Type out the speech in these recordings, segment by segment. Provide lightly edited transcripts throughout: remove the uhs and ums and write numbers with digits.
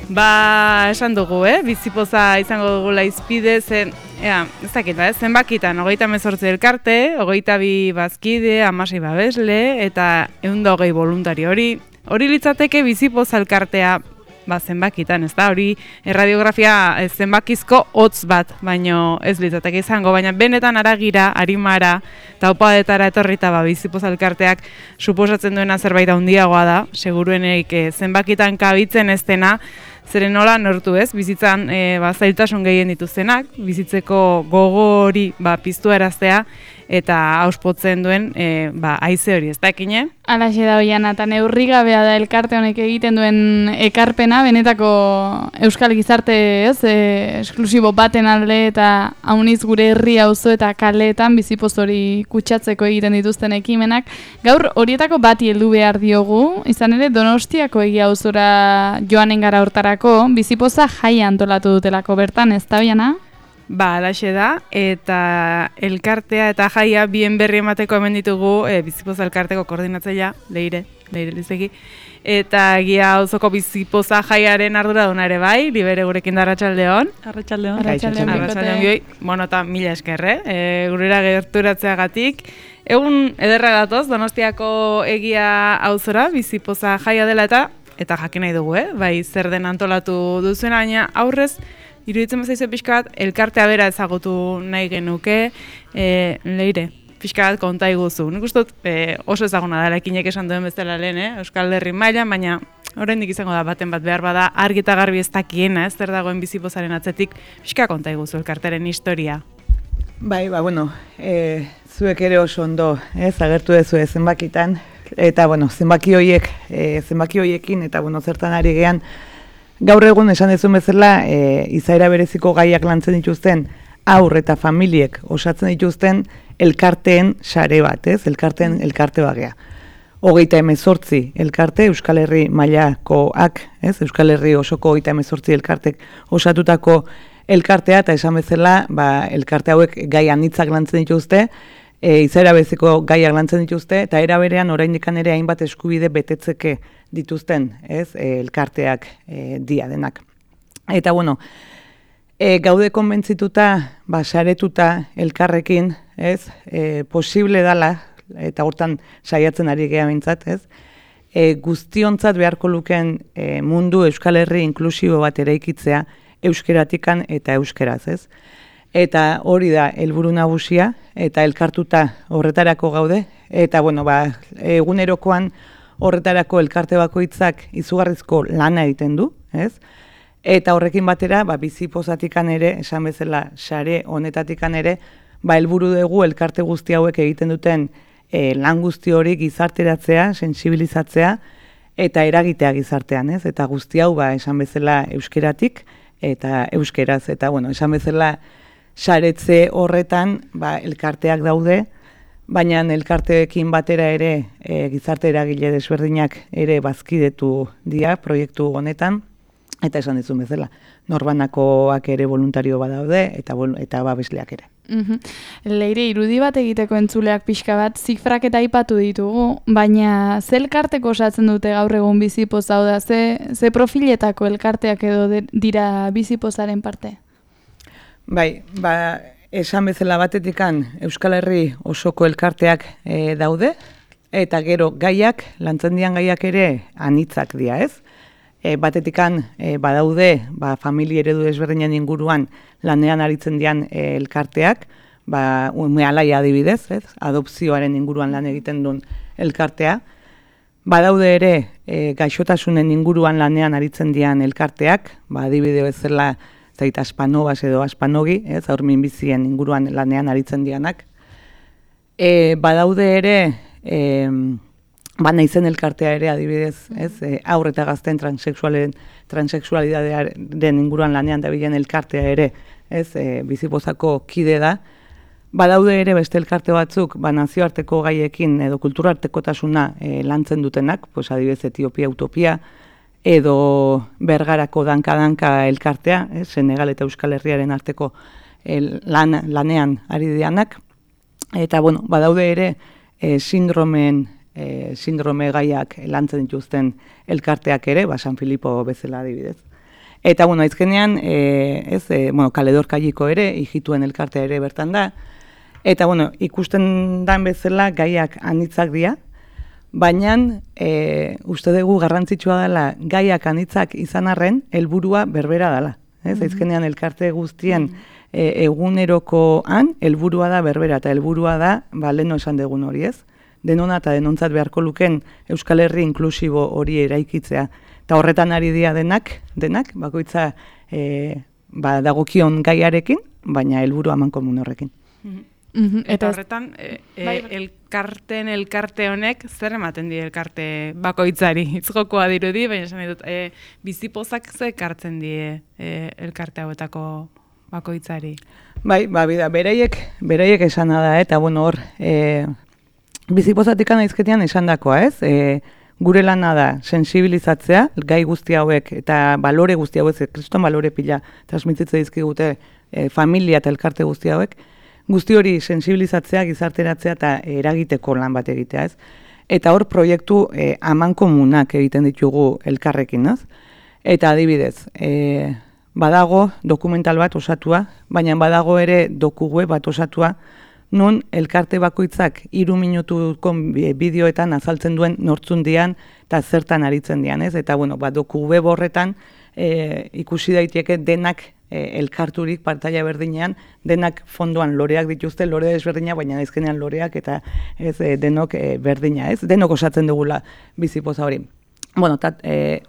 Esan dugu, bizipoza izango dugula izpide, ez dakit, zenbakitan, 38 elkarte, 22 bazkide, 16 babesle, eta 120 voluntari hori litzateke bizipoza elkartea zenbakitan, ez da, hori erradiografia zenbakizko hotz bat, baino ez litzateke izango, baina benetan aragira, arimara, eta opadetara etorrita bizipoza elkarteak suposatzen duena zerbait handiagoa da, seguruenek zenbakitan kabitzen ez dena, zeren nola nortu ez, bizitzan zailtasun gehien dituztenak, bizitzeko gogo hori piztu eraztea, eta auspotzen duen haize hori, ez da ekine? Alaxe da Oiana, eta neurri gabea da elkarte honek egiten duen ekarpena, benetako euskal gizarte esklusibo baten alde eta hauniz gure herri auzo eta kaleetan bizipoz hori kutsatzeko egiten dituzten ekimenak. Gaur horietako bati heldu behar diogu, izan ere Donostiako egia auzora joanen gara hortarako, bizipoza jaia antolatu dutelako bertan, ez da Oiana? Alaxe da, eta elkartea eta jaia bien berri emateko hemen ditugu bizipoza elkarteko koordinatzailea, Leire Lizegi, eta egia auzoko bizipoza jaiaren arduraduna ere bai, Libere gurekin da Arratsaldeon. Arratsaldeon bioi. Bueno, eta mila esker, gurera gerturatzeagatik. Egun ederra gatoz, Donostiako egia auzora bizipoza jaia dela eta jakin nahi dugu, bai zer den antolatu duzuen, baina aurrez, iruditzen bazaizu pixka bat, elkartea bera ezagutu nahi genuke, Leire, pixka bat konta iguzu. Nik uste dut oso ezaguna da, ekinek esan duen bezala lehen, Euskal Herri mailan, baina oraindik izango da baten bat behar bada, argi eta garbi ez dakiena, ez zer dagoen bizipozaren atzetik, pixka konta iguzu elkarteren historia. Bai, zuek ere oso ondo, agertu dezu zenbakitan, eta zenbaki horiekin, eta zertan ari gean, gaur egun esan dezun bezala, izaera bereziko gaiak lantzen dituzten haur eta familiek osatzen dituzten elkarteen sare bat, elkarte bagea. 38 elkarte Euskal Herri mailakoak, Euskal Herri osoko 38 elkartek osatutako elkartea, eta esan bezala, elkarte hauek gai anitzak lantzen dituzte, izaera bereziko gaiak lantzen dituzte, eta era berean oraindik ere hainbat eskubide betetzeke dituzten, elkarteak dia denak. Eta gaude konbentzituta, saretuta elkarrekin, posible dala, eta hortan saiatzen ari gea bintzat, guztiontzat beharko luken mundu Euskal Herri inklusibo bat eraikitzea euskeratikan eta euskeraz, Eta hori da helburu nagusia, eta elkartuta horretarako gaude, eta egunerokoan horretarako elkarte bakoitzak izugarrizko lana egiten du, Eta horrekin batera, bizipozatikan ere, esan bezala, sare honetatikan ere, helburu dugu elkarte guzti hauek egiten duten lan guzti hori gizarteratzea, sentsibilizatzea, eta eragitea gizartean, Eta guzti hau, esan bezala, euskeratik, eta euskeraz, eta esan bezala, saretze horretan elkarteak daude, baina elkarteekin batera ere gizarte eragile desberdinak ere bazkidetu dira proiektu honetan, eta esan dizun bezala, norbanakoak ere voluntario badaude eta babesleak ere. Leire, irudi bat egiteko entzuleak pixka bat, zifrak eta aipatu ditugu, baina ze elkarteko osatzen dute gaur egun bizipoza, hau da, ze profiletako elkarteak edo dira bizipozaren parte? Bai, esan bezala batetikan Euskal Herri osoko elkarteak daude, eta gero gaiak, lantzen dian gaiak ere anitzak dira, Batetikan badaude, familia eredu desberdinen inguruan lanean aritzen dian elkarteak, ume alaia adibidez, adopzioaren inguruan lan egiten duen elkartea. Badaude ere gaixotasunen inguruan lanean aritzen dian elkarteak, adibide bezala zaita aspanobas edo aspanogi, haur minbizien inguruan lanean aritzen dianak. Badaude ere, naizen elkartea ere adibidez, haur eta gazten transexualidadearen inguruan lanean dabilen elkartea ere, bizipozako kide da. Badaude ere beste elkarte batzuk, nazioarteko gaiekin edo kulturartekotasuna lantzen dutenak, adibidez Etiopia Utopia, edo Bergarako danka elkartea, Senegal eta Euskal Herriaren arteko lanean ari dianak. Eta, badaude ere sindrome gaiak lantzen dituzten elkarteak ere, San Filipo bezala adibidez. Eta, bueno, aizkenean, kaledorkaiko ere, hijituen elkartea ere bertan da. Eta, bueno, ikusten dan bezala gaiak anitzak dira, baina uste dugu garrantzitsua dela gaiak anitzak izan arren, helburua berbera dela. Aizkenean elkarte guztien egunerokoan, helburua da berbera, eta helburua da, leheno esan dugun hori ez, denona eta denontzat beharko luken Euskal Herri inklusibo hori eraikitzea. Eta horretan ari dira denak, bakoitza dagokion gaiarekin, baina helburu amankomun horrekin. Eta horretan, elkarte honek, zer ematen die elkarte bakoitzari? Itzgokoa dirudi, baina esan dut, bizipozak ze ekartzen die elkarte hauetako bakoitzari? Bai, beraiek esana da, eta bueno, hor, bizipozatik aizketean esan dakoa, ez? Gure lana da, sensibilizatzea, gai guzti hauek eta balore guzti hauek, kriston balore pila transmititze dizkigute familia eta elkarte guzti hauek, guzti hori sensibilizatzea, gizarteratzea eta eragiteko lan bat egitea, ez? Eta hor proiektu amankomunak egiten ditugu elkarrekin, ez? Eta adibidez, badago dokumental bat osatua, baina badago ere dokugue bat osatua, nun elkarte bakoitzak 3 minutuko bideoetan azaltzen duen nortzun dian eta zertan aritzen dian, ez? Eta, bueno, dokugue borretan ikusi daiteke denak elkarturik partaia berdinean, denak fondoan loreak dituzte, lore desberdina, baina aizkenean loreak eta ez denok berdina, ez? Denok osatzen dugula bizipoza hori. Bueno,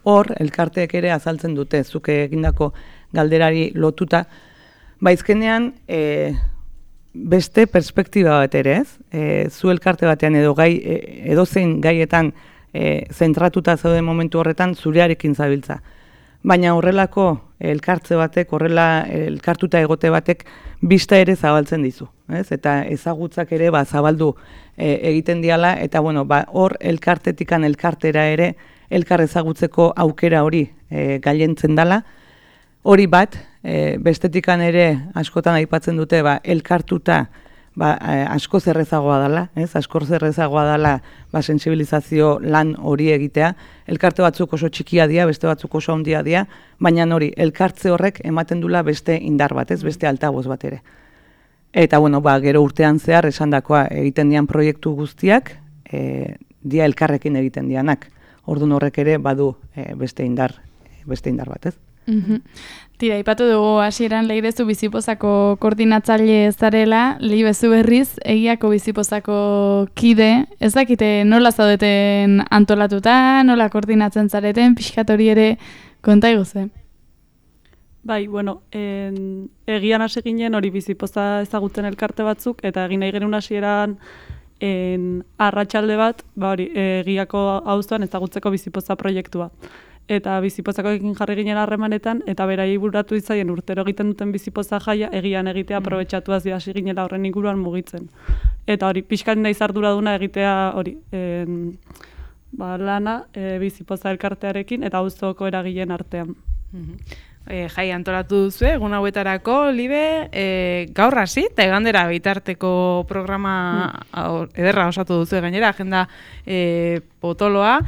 hor, elkarteek ere azaltzen dute, zuke egindako galderari lotuta, baizkenean, beste perspektiba bat ere, ez? Zu elkarte batean edozein gaietan zentratuta zauden momentu horretan zurearekin zabiltza. Baina horrelako elkartze batek, horrela elkartuta egote batek bista ere zabaltzen dizu, ez? Eta ezagutzak ere zabaldu egiten diala, eta bueno, hor elkartetikan elkartera ere elkar ezagutzeko aukera hori gailentzen dala. Hori bat, bestetikan ere askotan aipatzen dute, elkartuta asko zerrezagoa dela, ez? Asko zerrezagoa dela sensibilizazio lan hori egitea. Elkarte batzuk oso txikia dira, beste batzuk oso handia dira, baina hori, elkartze horrek ematen dula beste indar bat, ez? Beste altaboz bat ere. Eta, bueno, gero urtean zehar esandakoa egiten dian proiektu guztiak, dia elkarrekin egiten dianak. Orduan horrek ere badu beste indar bat, ez? Tira, ipatu dugu hasieran Leirezu bizipozako koordinatzaile zarela, Leibezu berriz egiako bizipozako kide, ez dakite nola zaudeten antolatuta, nola koordinatzen zareten, pixkat hori ere konta iguze. Bai, bueno, egian hasi ginen hori bizipoza ezagutzen elkarte batzuk, eta egin nahi genuen hasieran arratsalde bat, hori, egiako auzoan ezagutzeko bizipoza proiektua. Eta bizipozakoekin jarri ginen harremanetan, eta beraiei bururatu ditzaien urtero egiten duten bizipoza jaia, egian egitea aprobetxatuaz hasi ginela horren inguruan mugitzen. Eta hori, pixkat naiz arduraduna egitea hori, lana bizipoza elkartearekin eta auzoko eragileen artean. Jai antolatu duzu, egun hauetarako, Libe, gaur hasi, eta egandera bitarteko programa ederra osatu duzu gainera, agenda potoloa,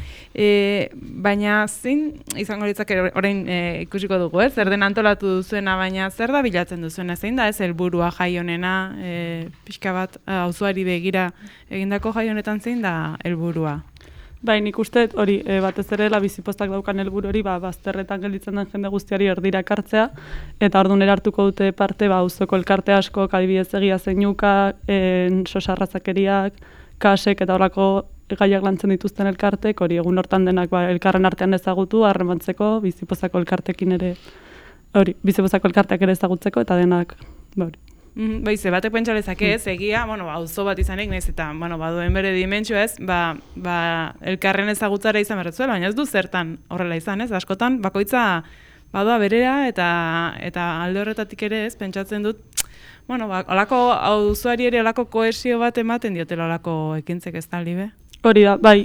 baina zin, izango litzak orain ikusiko dugu, zer den antolatu duzuena, baina zer da bilatzen duzuena, zein da ez helburua jai honena, pixka bat auzoari begira egindako jai honetan zein da helburua? Bai, nik uste hori batez ere bizipoztak daukan helburu hori bazterretan gelditzen den jende guztiari erdira ekartzea, eta orduan hartuko dute parte auzoko elkarte asko, adibidez Egia Zeinuka, sosarrazakeriak, kasek eta horrako gaiak lantzen dituzten elkartek, hori egun hortan denak elkarren artean ezagutu, harremantzeko, bizipozako elkartekin ere, hori, bizipozako elkarteak ere ezagutzeko eta denak, hori. Baize, batek pentsalezake ez, egia, auzo bat izanik, nahiz eta, baduen bere dimentsio ez, elkarren ezagutzara izan berretzuela, baina ez du zertan horrela izan ez, askotan, bakoitza badoa berera eta alde horretatik ere ez, pentsatzen dut, olako auzoari ere olako kohesio bat ematen diotela olako ekintzek ez da, Libe? Hori da, bai,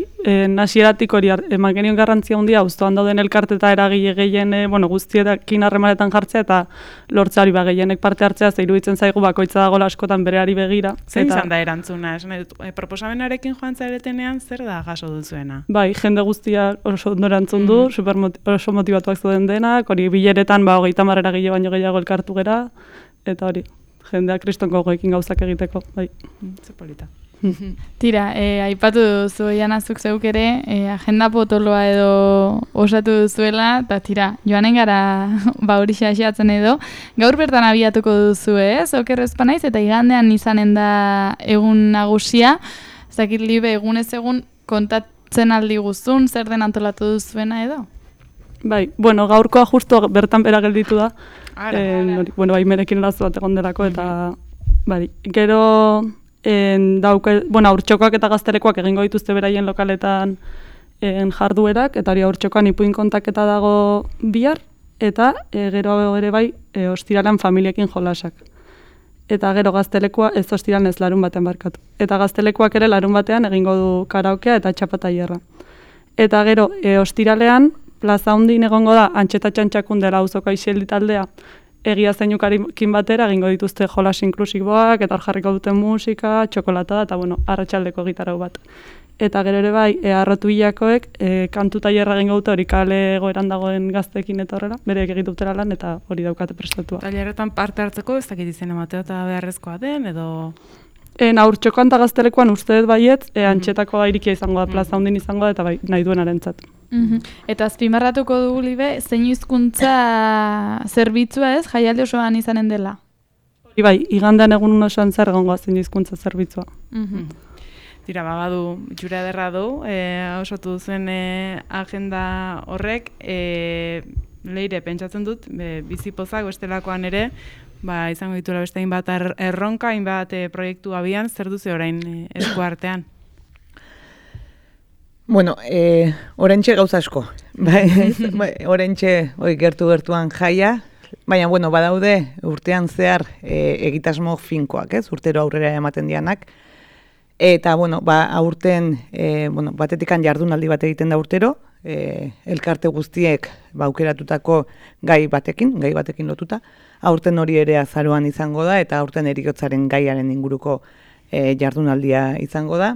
hasieratik hori eman genion garrantzia handia auzoan dauden elkarte eta eragile gehien guztiekin harremanetan jartzea eta lortzea hori gehienek parte hartzea, ze iruditzen zaigu bakoitza dagoela askotan bereari begira. Zein izan da erantzuna? Proposamenarekin joan zaretenean zer da jaso duzuena? Bai, jende guztia oso ondo erantzun du, oso motivatuak zeuden denak, hori bileretan 30 eragile baino gehiago elkartu gera, eta hori, jendea kristonko goekin gauzak egiteko, bai. Ze polita. Tira, aipatu duzu Janazuk zeuk ere, agenda potoloa edo osatu duzuela, eta tira, joanen gara hori xaxeatzen edo. Gaur bertan abiatuko duzu ez, okerrezpa naiz, eta igandean izanen da egun nagusia. Zakit libe egunez egun kontatzen aldi guztun, zer den antolatu duzuena edo? Bai, bueno, gaurkoa justo bertan bera gelditu da. Bai, merekin erazu bat egon delako, eta bai, gero... Haurtxokoak eta gaztelekoak egingo dituzte beraien lokaletan jarduerak, eta hori haurtxokoan ipuin kontaketa dago bihar, eta gero ere bai ostiralan familiekin jolasak. Eta gero gaztelekoa ez ostiralan ez larun batean barkatu. Eta gaztelekoak ere larun batean egingo du karaokea eta txapataierra. Eta gero ostiralean plaza hundin egongo da Antxeta Txantxakun dela auzoko aisialdi taldea, egia zeinukarekin batera egingo dituzte jolas inklusiboak, eta hor jarriko duten musika, txokolatada, eta arratsaldeko gitarau bat. Eta gero ere bai, Arrotu Hilakoek kantu tailerra egingo dute hori kale egoeran dagoen gazteekin eta horrela, bereek egin dutela lan eta hori daukate prestatua. Tailerretan parte hartzeko ez dakit izen emateo eta beharrezkoa den, edo... Haurtxokoan eta gaztelekoan uste dut baiet, Antxetako irikia izango da, plaza hundin izango da, eta bai, nahi duenarentzat. Eta azpimarratuko dugu libe, zein hizkuntza zerbitzua ez, jaialdi osoan izanen dela? Hori bai, igandean egun osoan zer egongo zein hizkuntza zerbitzua. Tira, badu, jura ederra du, osatu duzen agenda horrek, leire, pentsatzen dut, bizipozak bestelakoan ere, izango dituela beste hainbat erronka, hainbat proiektu abian, zer duzu orain esku artean? Bueno, orentxe gauza asko. Orentxe gertu-gertuan jaia, baina, badaude urtean zehar egitasmo finkoak, ez? Urtero aurrera ematen dianak. Eta, aurten, batetikan jardunaldi bat egiten da urtero, elkarte guztiek aukeratutako gai batekin lotuta. Aurten hori ere azaroan izango da, eta aurten eriotzaren gaiaren inguruko jardunaldia izango da.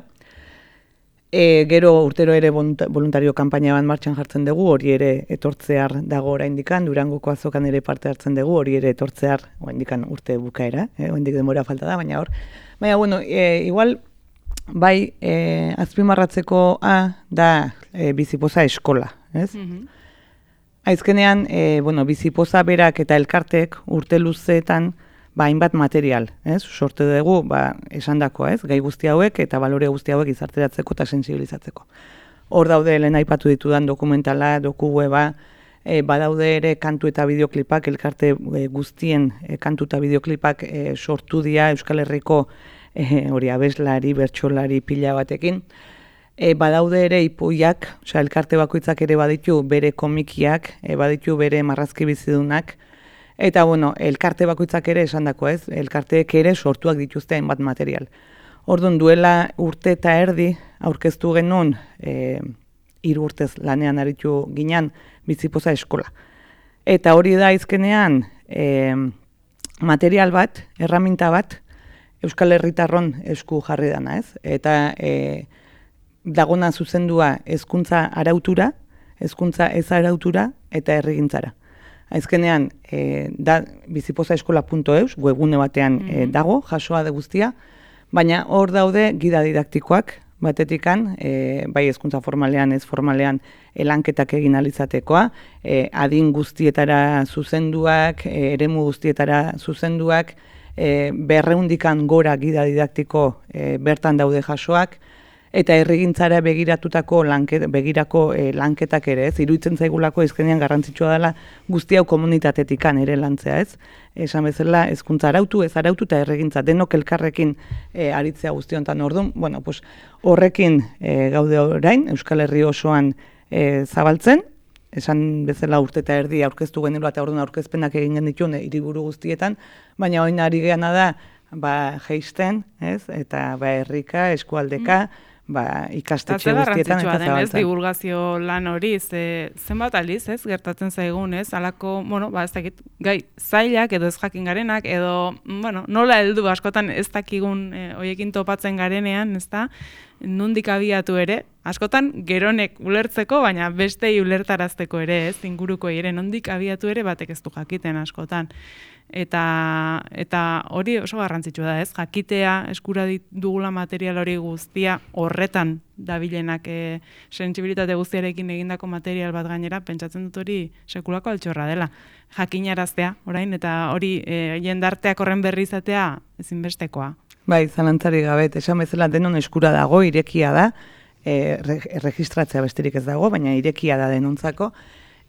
Gero urtero ere voluntario kanpaina bat martxan jartzen dugu, hori ere etortzear dago oraindikan, Durangoko azokan ere parte hartzen dugu, hori ere etortzear oraindikan urte bukaera, oraindik denbora falta da, baina hor. Baina, igual, bai, azpimarratzeko da bizipoza eskola, ez? Aizkenean, bizipoza berak eta elkartek urte luzeetan hainbat material, ez? Sorte dugu, esandakoa, ez? Gai guzti hauek eta balore guzti hauek izarteratzeko eta sensibilizatzeko. Hor daude lehen aipatu ditudan dokumentala, weba, badaude ere kantu eta bideoklipak, elkarte guztien kantu eta bideoklipak sortu dira Euskal Herriko abeslari, bertsolari pila batekin. Badaude ere ipuiak, elkarte bakoitzak ere baditu bere komikiak, baditu bere marrazki bizidunak, eta elkarte bakoitzak ere esandako ez, elkarteek ere sortuak dituzte hainbat material. Orduan duela urte eta erdi aurkeztu genuen 3 urtez lanean aritu ginen bizipoza eskola. Eta hori da izkenean material bat, erraminta bat, Euskal Herritarron esku jarri dana ez. Eta dagona zuzendua hezkuntza arautura, hezkuntza ez arautura eta herrigintzara. Azkenean, da bizipozaeskola.eus, webgune batean dago, jasoa da guztia, baina hor daude gida didaktikoak, batetikan, bai hezkuntza formalean, ez formalean, lanketak egin alizatekoa, adin guztietara zuzenduak, eremu guztietara zuzenduak, 200 gora gida didaktiko bertan daude jasoak, eta herrigintzara begiratutako lanketak ere, ez? Iruditzen zaigulako ezkenean garrantzitsua dela guzti hau komunitatetikan ere lantzea, ez? Esan bezala, hezkuntza arautu, ez arautu eta herrigintza denok elkarrekin aritzea guztiontan orduan. Horrekin gaude orain, Euskal Herri osoan zabaltzen, esan bezala urte eta erdi aurkeztu genero eta orduan aurkezpenak egin genituen hiriburu guztietan, baina orain ari geana da, jeisten, ez? Eta herrika, eskualdeka, ikastetxe guztietan eta zabaltzen. Divulgazio lan hori, zenbat aliz, ez, gertatzen zaigun, ez, alako, ez dakit, gai, zailak edo ez jakin garenak, edo, nola heldu askotan ez dakigun hoiekin topatzen garenean, ez da, nondik abiatu ere, askotan geronek ulertzeko, baina bestei ulertarazteko ere, ez, inguruko ere, nondik abiatu ere batek ez du jakiten askotan. Eta hori oso garrantzitsua da, ez? Jakitea eskura dugula material hori guztia horretan dabilenak sentsibilitate guztiarekin egindako material bat gainera, pentsatzen dut hori sekulako altxorra dela. Jakinaraztea, orain, eta hori jendarteak horren berri izatea ezinbestekoa. Bai, zalantzari gabe, esan bezala denon eskura dago, irekia da, registratzea besterik ez dago, baina irekia da denontzako.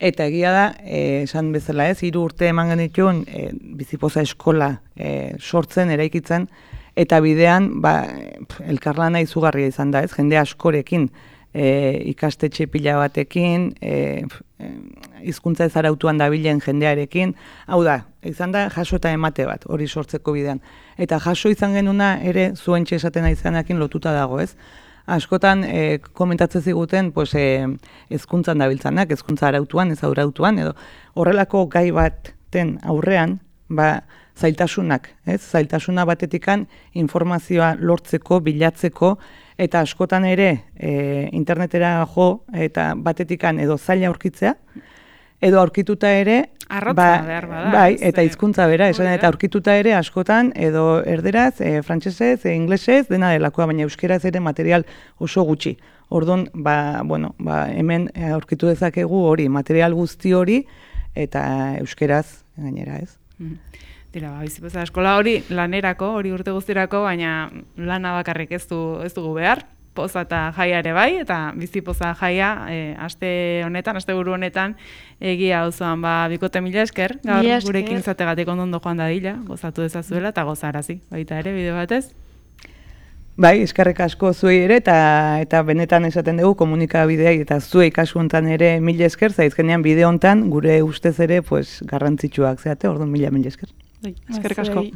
Eta egia da, esan bezala ez, 3 urte eman genituen bizipoza eskola sortzen, eraikitzen, eta bidean elkarlana izugarria izan da ez, jende askorekin, ikastetxe pila batekin, hizkuntza ez arautuan dabilen jendearekin, hau da, izan da jaso eta emate bat, hori sortzeko bidean. Eta jaso izan genuna ere zuen txesaten aizanakin lotuta dago ez. Askotan komentatzen ziguten hezkuntzan dabiltzanak, hezkuntza arautuan, ez arautuan, edo horrelako gai baten aurrean, zailtasunak, ez? Zailtasuna batetikan informazioa lortzeko, bilatzeko, eta askotan ere internetera jo, eta batetikan edo zaila aurkitzea, edo aurkituta ere, bai, eta hizkuntza bera, esan eta aurkituta ere askotan, edo erderaz, frantsesez, inglesez, dena delakoa, baina euskeraz ere material oso gutxi. Orduan, hemen aurkitu dezakegu hori, material guzti hori, eta euskeraz gainera, ez? Dira, bizipoza eskola hori lanerako, hori urte guztirako, baina lana bakarrik ez dugu behar. Poza eta jaia ere bai, eta bizipoza jaia aste buru honetan, egia osoan bikote mila esker, gaur gurekin izategatik ondo joan dadila, gozatu dezazuela eta gozarazi, baita ere, bide batez. Bai, eskerrik asko zuei ere, eta benetan esaten dugu komunikabideai eta zuei kasu hontan ere mila esker, zaizkenean bide hontan gure ustez ere garrantzitsuak zeate, orduan mila esker. Eskerrik asko.